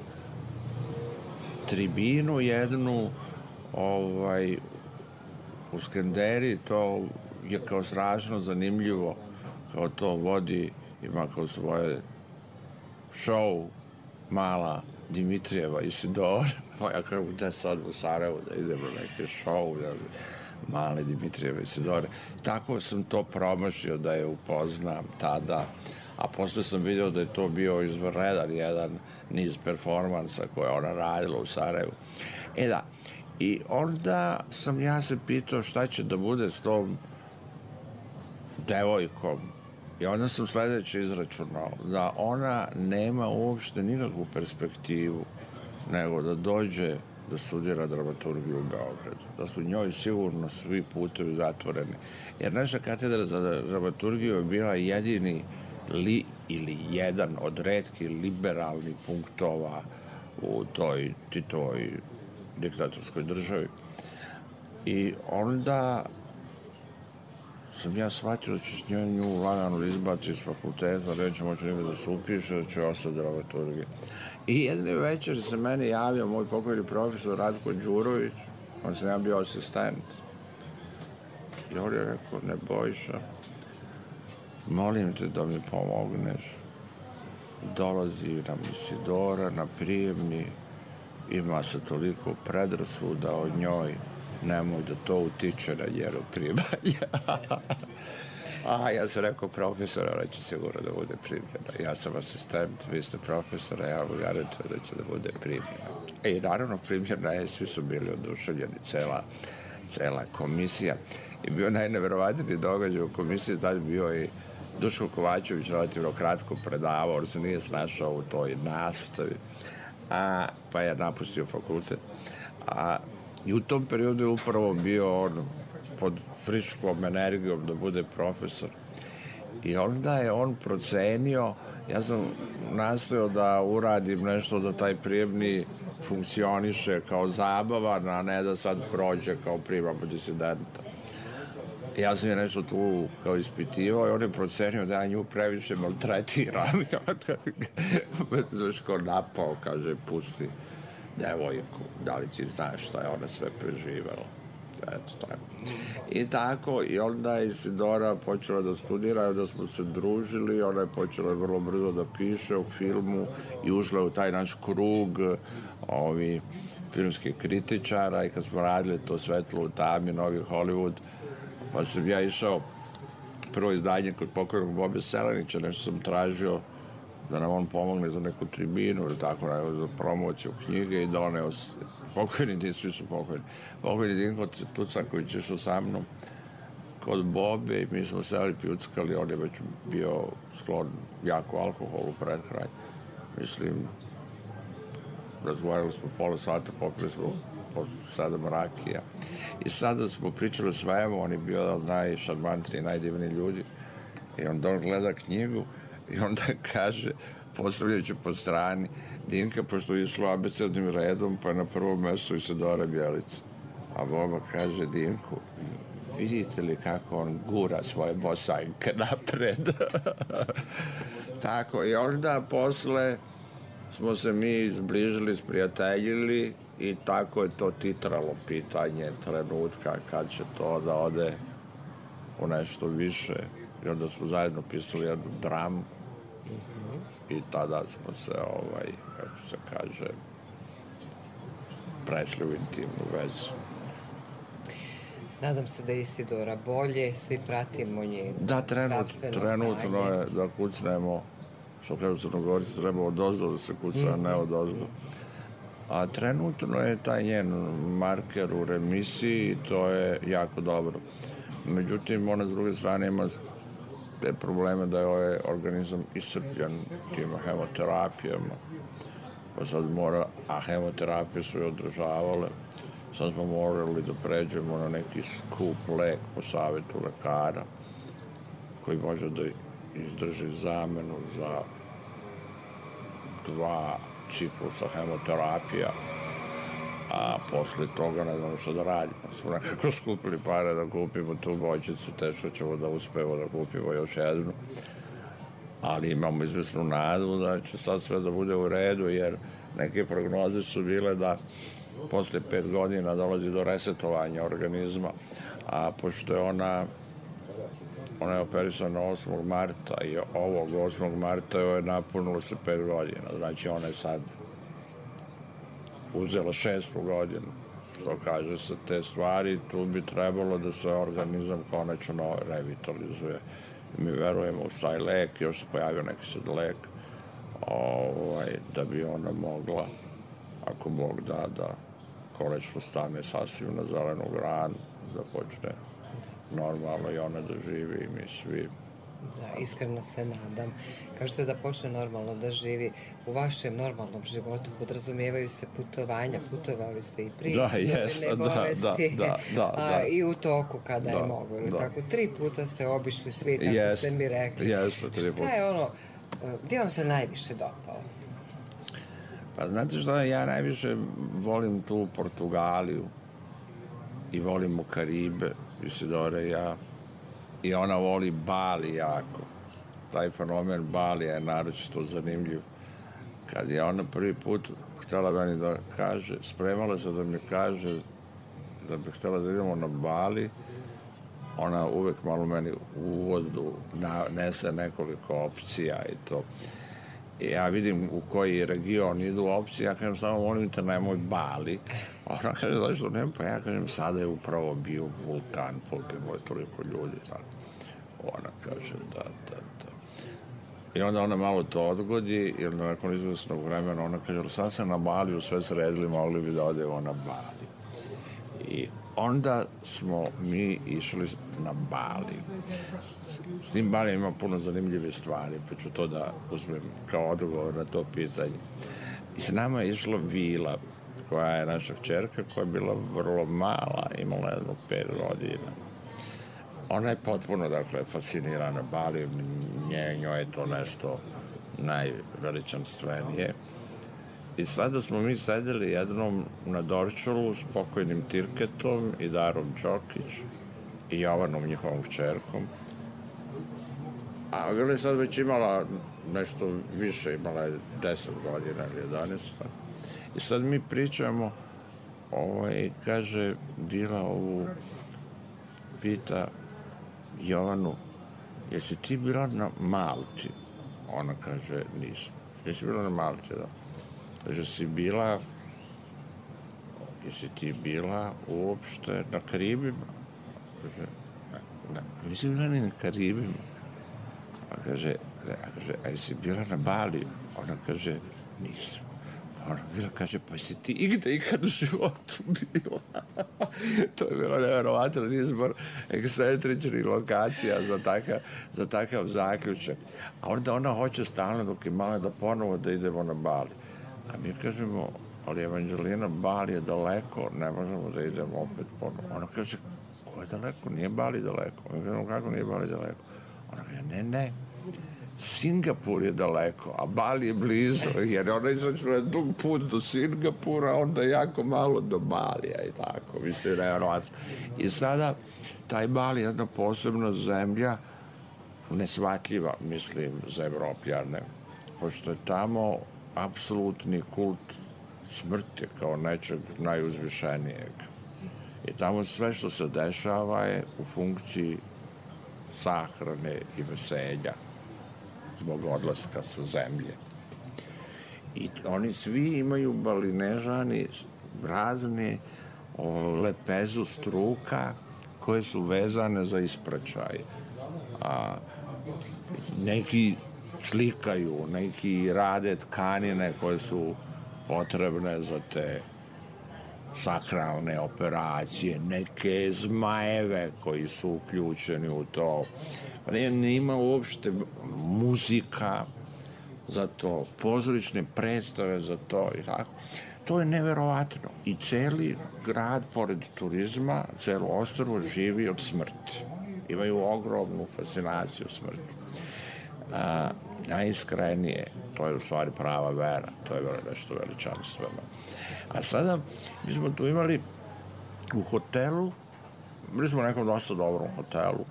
tribinu jednu u Skanderi, to je kao strašno zanimljivo, kao to vodi, ima kao svoje show mala Dimitrijeva Isidora. Ja kažem, gde sad u Sarajevu da idemo neke show, male Dimitrijeve Isidore. Tako sam to promašio da je upoznam tada, a posle sam vidio da je to bio izvanredan jedan niz performansa koje ona radila u Sarajevu. Da, i onda sam ja se pitao šta će da bude s tom devojkom. I onda sam sledeće izračunao da ona nema uopšte nikakvu perspektivu nego da dođe da studira dramaturgiju u Beogradu. Da su njoj sigurno svi putevi zatvoreni. Jer naša katedra za dramaturgiju je bila jedini ili jedan od retkih liberalnih punktova u toj Titovoj diktatorskoj državi. I onda sam ja shvatio da će nju lagano izbaci iz fakulteta, neće moći nikada da se upiše, da će ostati dramaturgija. I jedne večer se meni javio moj pokojni profesor Ratko Đurović, on sam ja bio asistent. I on je rekao, Nebojša, molim te da mi pomogneš. Dolazi nam Isidora na prijemni, ima se toliko predrasuda o njoj, nemoj da to utiče na njeno primanje. Ja sam rekao, profesor, ona će sigurno da bude primljena. Ja sam asistent, vi ste profesor, ja vam garantujem da će da bude primljena. I naravno primljena je, svi su bili oduševljeni, cela komisija. I bio najneverovatniji događaj u komisiji, tad bio i Duško Kovačević relativno kratko predavao, on se nije snašao u toj nastavi, pa je napustio fakultet. I u tom periodu je upravo bio on pod friškom energijom da bude profesor. I onda je on procenio, ja sam nastojao da uradim nešto da taj prijemni funkcioniše kao zabavan, a ne da sad prođe kao primamo disidenta. Ja sam je nešto tu kao ispitivao i on je procenio da ja nju previše maltretiram. I onda Duško napao, kaže, pusti devojku, da li ti znaš šta je ona sve preživela. Eto, tako. I tako, i onda je Isidora počela da studira, da smo se družili, ona je počela vrlo brzo da piše u filmu i ušla u taj naš krug filmskih kritičara i kad smo radili to Svetlo u tami, Novi Hollywood, pa sam ja išao prvo izdanje kod pokojnog Bobe Selenića, nešto sam tražio da nam on pomogne za neku tribinu ili tako, za promociju knjige i doneo pokojni, svi su pokojni. Pokojni Dinko Tucaković išao sa mnom kod Bobe i mi smo seli pjuckali, on je već bio sklon jako alkoholu pred kraj. Mislim, razgovarali smo pola sata, popili smo po 7 rakija. I sada smo pričali o svemu, on je bio najšarmantniji, najdivniji ljudi. I onda on gleda knjigu i onda kaže, postavljajući po strani, Dinka, pošto je išlo abecednim redom, pa je na prvom mestu Isidora Bjelica. A Boba kaže Dinku, vidite li kako on gura svoje bosanjke napred? Tako, i onda posle smo se mi zbližili, sprijateljili i tako je to titralo pitanje trenutka kad će to da ode u nešto više. I onda smo zajedno pisali jednu dramu i tada smo se, kako se kaže, prešli u intimnu vezu. Nadam se da je Isidora bolje, svi pratimo njeno zdravstveno stanje. Da, trenutno je da kucnemo, što kažu Crnogorici, treba odozdo da se kuca, a ne odozdo. A trenutno je taj njen marker u remisiji i to je jako dobro. Međutim, ona s druge strane ima te probleme da je ovaj organizam iscrpljen tim hemoterapijama. Pa sad mora, a hemoterapije su je održavale, sad smo morali da pređemo na neki skup lek po savjetu lekara koji može da izdrži zamenu za 2 ciklusa hemoterapija. a posle toga ne znamo što da radimo. Smo nekako skupili pare da kupimo tu bočicu, teško ćemo da uspemo da kupimo još jednu, ali imamo izvesnu nadu da će sad sve da bude u redu, jer neke prognoze su bile da posle 5 godina dolazi do resetovanja organizma, a pošto je ona je operisana 8. marta i ovog 8. marta joj je napunilo se 5 godina, znači ona je sad uzela 6. godinu, što kaže se te stvari, tu bi trebalo da se organizam konačno revitalizuje. Mi verujemo u taj lek, još se pojavio neki sad lek, da bi ona mogla, ako Bog da konačno stane sasvim na zelenu granu, da počne normalno i ona da živi i mi svi. Da, iskreno se nadam. Kažete da počne normalno da živi. U vašem normalnom životu podrazumijevaju se putovanja. Putovali ste i prije iznojene bolesti, i u toku kada je mogo. Tako, 3 puta ste obišli svi, tako ste mi rekli. Šta je ono, gdje vam se najviše dopalo? Pa znate što, ja najviše volim tu Portugaliju i volimo Karibe, Isidora i ja. I ona voli Bali jako. Taj fenomen Balija je naročito zanimljiv. Kad je ona prvi put htjela meni da kaže, spremala se da mi kaže da bi htjela da idemo na Bali, ona uvek malo meni u uvodu nese nekoliko opcija i to. I ja vidim u koji region idu opcije, ja kažem samo molim te nemoj Bali. Ona kaže zašto nema, pa ja kažem sada je upravo bio vulkan, poginulo je toliko ljudi. Ona kaže da. I onda ona malo to odgodi i onda nakon izvesnog vremena ona kaže sad se na Baliju sve sredili, mogli bi da odemo na Bali. I onda smo mi išli na Bali. S tim Bali ima puno zanimljive stvari, pa ću to da uzmem kao odgovor na to pitanje. I s nama je išla Vila, koja je naša kćerka, koja je bila vrlo mala, imala jedno 5 godina. Ona je potpuno, dakle, fascinirana Bali, njoj je to nešto najveličanstvenije. I sada smo mi sedeli jednom na Dorčolu s pokojnim Tirketom i Darom Đokić i Jovanom, njihovom kćerkom. A Vila je sad već imala nešto više, imala je 10 godina ili 11. I sad mi pričamo, kaže Vila pita Jovanu, jesi ti bila na Malti? Ona kaže, nisam. Nisi bila na Malti, da. Kaže, jesi ti bila uopšte na Karibima? Kaže, ne, nisi bila ni na Karibima. A kaže, a jesi bila na Baliju? Ona kaže, nisam. Ona Vila kaže, pa si ti ikad u životu bila? To je bilo nevjerovatno izbor ekscentričnih lokacija za takav zaključak. A onda ona hoće stalno dok je mala da ponovo da idemo na Bali. A mi kažemo, ali Evanđelina, Bali je daleko, ne možemo da idemo opet ponovo. Ona kaže, ko je daleko? Nije Bali daleko. Mi kažemo, kako nije Bali daleko? Ona kaže, ne, Singapur je daleko, a Bali je blizu, jer ona izračuna dug put do Singapura, onda jako malo do Balija i tako, mislim, nevjerovatno. I sada, taj Bali je jedna posebna zemlja, nesvatljiva, mislim, za Evropljane, pošto je tamo apsolutni kult smrti kao nečeg najuzvišenijeg. I tamo sve što se dešava je u funkciji sahrane i veselja zbog odlaska sa zemlje. I oni svi imaju Balinežani razne lepezu struka koje su vezane za ispraćaj. Neki slikaju, neki rade tkanine koje su potrebne za te sakralne operacije, neke zmajeve koji su uključeni u to. Nema uopšte muzika za to, pozorišne predstave za to i tako. To je neverovatno. I celi grad, pored turizma, celo ostrvo živi od smrti. Imaju ogromnu fascinaciju smrti. najiskrenije, to je u stvari prava vera, to je nešto veličanstveno. A sada, mi smo tu imali u hotelu, bili smo u nekom dosta dobrom hotelu,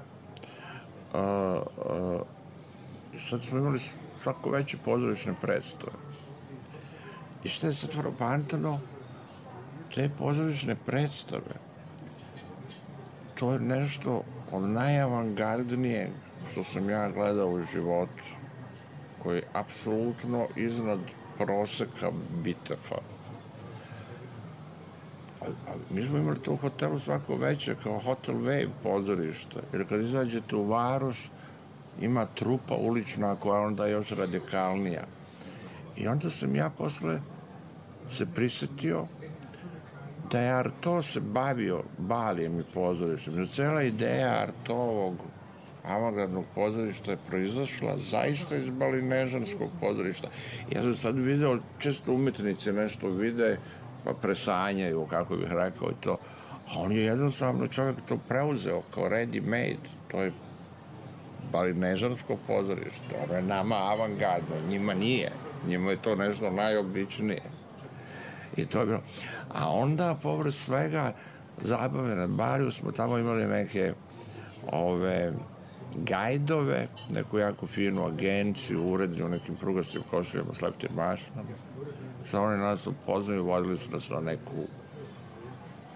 i sad smo imali svako veće pozorišne predstave. I što je sad frapantno, te pozorišne predstave, to je nešto od najavangardnijeg što sam ja gledao u životu, koji je apsolutno iznad proseka bitefa. Mi smo imali to u hotelu svako veće, kao Hotel Wave pozorište, jer kad izađete u Varoš, ima trupa ulična koja je onda još radikalnija. I onda sam ja posle se prisetio da je Arto se bavio balijem i pozorištem. Jer cela ideja Artovog avangardnog pozorišta je proizašla zaista iz balinežanskog pozorišta. Ja sam sad video, često umetnici nešto vide, pa presanjaju, kako bih rekao i to. A on je jednostavno čovjek to preuzeo kao ready made. To je balinežansko pozorište. Ono je nama avangardno, njima nije. Njima je to nešto najobičnije. I to je bilo. A onda, povrst svega, zabave na Baliju smo tamo imali neke gajdove, neku jako finu agenciju, uredni u nekim prugastim košuljama s leptim mašinama. Sad oni nas upoznaju, vodili su nas na neku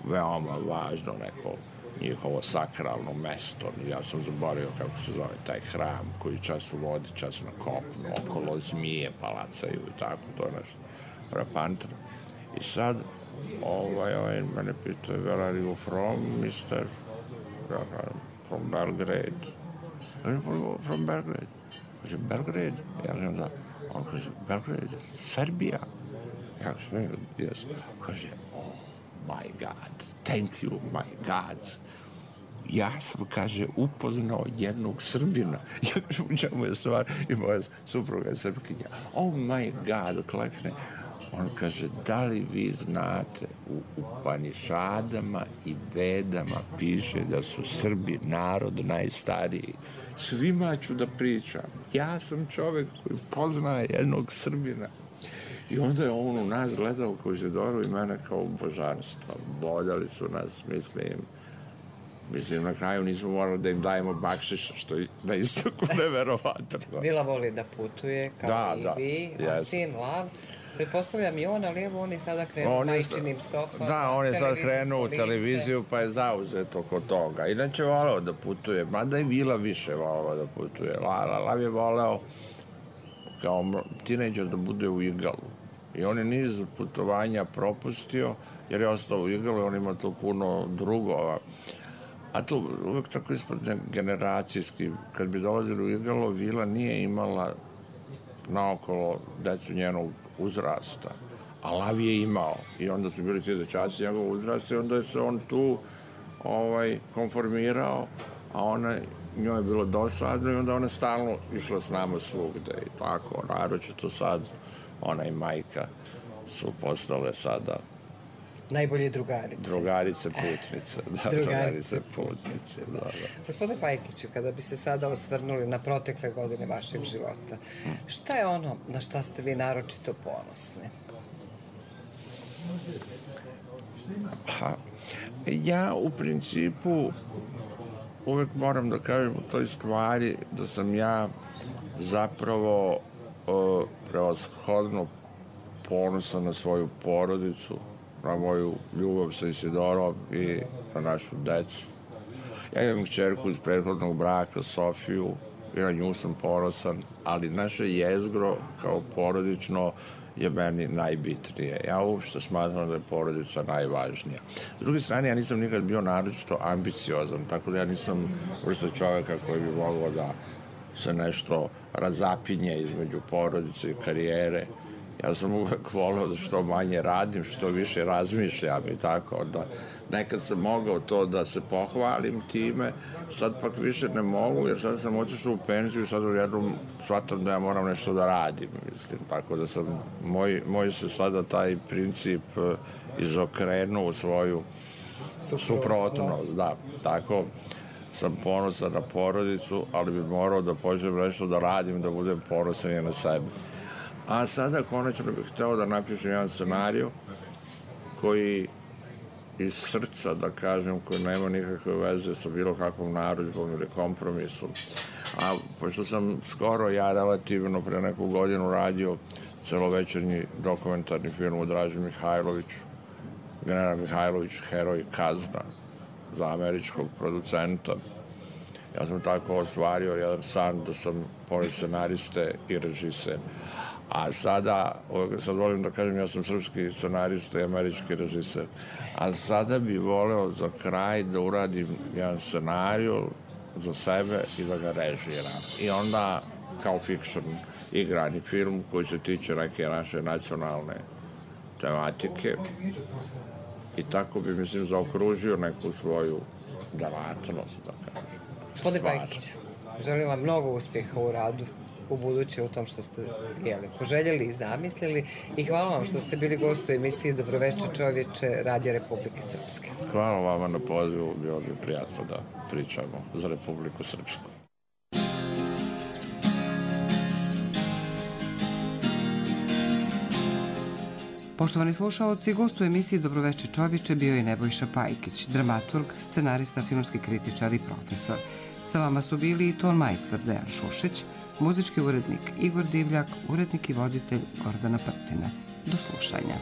veoma važno, neko njihovo sakralno mesto. Ja sam zaboravio kako se zove taj hram koji čas u vodi, čas na kopnu, okolo zmije palacaju i tako, to je nešto frapantno. I sad, mene pitao, where are you from, mister? From Belgrade. From Belgrade. Kaže, Belgrade? Ja kažem, da. On kaže, Belgrade, Serbija. Ja kažem, yes. Kaže, oh my God, thank you, my God. Ja sam, kaže, upoznao jednog Srbina. Ja kažem, u čemu je stvar? I moja supruga je Srpkinja. Oh my God, klekne. On kaže, da li vi znate, u Upanišadama i Vedama piše da su Srbi narod najstariji. Svima ću da pričam. Ja sam čovek koji poznaje jednog Srbina. I onda je on u nas gledao kao Izidoru i mene kao božanstva. Boljali su nas, mislim, na kraju nismo morali da im dajemo bakšiša, što je na istoku neverovatno. Mila voli da putuje, kao i vi, a sin Lav. Pretpostavljam i on, ali evo on je sada krenuo majčinim stopama. Da, on je sad krenuo u televiziju, pa je zauzet oko toga. Inače voleo da putuje, mada i Mila više voleo da putuje. Lav je voleo kao tinejdžer da bude u Igalu. I on je niz putovanja propustio, jer je ostao u Igalu i on ima to puno drugova. A to uvek tako ispod generacijski. Kad bi dolazili u Igalo, Vila nije imala naokolo decu njenog uzrasta, a Lav je imao. I onda su bili ti dečaci njegov uzrasta i onda je se on tu konformirao, a njoj je bilo dosadno i onda ona stalno išla s nama svugde i tako. Naročito sad, ona i majka su postale sada najbolje drugarice. Drugarice putnice. Da, drugarice putnice, da. Gospodine Pajkiću, kada bi se sada osvrnuli na protekle godine vašeg života, šta je ono na šta ste vi naročito ponosni? Ja u principu uvek moram da kažem u toj stvari da sam ja zapravo prevashodno ponosan na svoju porodicu, na moju ljubav sa Isidorom i na našu decu. Ja imam kćerku iz prethodnog braka, Sofiju, i na nju sam ponosan, ali naše jezgro kao porodično je meni najbitnije. Ja uopšte smatram da je porodica najvažnija. S druge strane, ja nisam nikad bio naročito ambiciozan, tako da ja nisam vrsta čoveka koji bi mogao da se nešto razapinje između porodice i karijere. Ja sam uvek voleo da što manje radim, što više razmišljam i tako. Da nekad sam mogao to da se pohvalim time, sad pak više ne mogu, jer sad sam otišao u penziju i sad u jednom shvatam da ja moram nešto da radim, mislim. Tako da sam, moj se sada taj princip izokrenuo u svoju suprotnost, da. Tako, sam ponosan na porodicu, ali bi morao da počnem nešto da radim, da budem ponosan i na sebe. A sada konačno bih hteo da napišem jedan scenariju koji iz srca, da kažem, koji nema nikakve veze sa bilo kakvom narudžbom ili kompromisom. A pošto sam skoro, ja relativno pre neku godinu radio celovečernji dokumentarni film o Draži Mihajloviću, General Mihajlović, heroj Kazna, za američkog producenta. Ja sam tako ostvario jedan san da sam pored scenariste i režiser. A sad volim da kažem, ja sam srpski scenarista i američki režiser. A sada bi voleo za kraj da uradim jedan scenariju za sebe i da ga režiram. I onda kao fiction igrani film koji se tiče neke naše nacionalne tematike. I tako bi, mislim, zaokružio neku svoju delatnost, da kažem. Gospodine Pajkiću, želim vam mnogo uspjeha u radu u buduće u tom što ste poželjeli i zamislili i hvala vam što ste bili gost u emisiji Dobroveče čovječe Radija Republike Srpske. Hvala vama na pozivu, bilo bi prijatno da pričamo za Republiku Srpsku. Poštovani slušaoci, gost u emisiji Dobroveče čovječe bio je Nebojša Pajkić, dramaturg, scenarista, filmski kritičar i profesor. Sa vama su bili i ton majstor Dejan Šušić, muzički urednik Igor Divljak, urednik i voditelj Gordana Prtina. Do slušanja.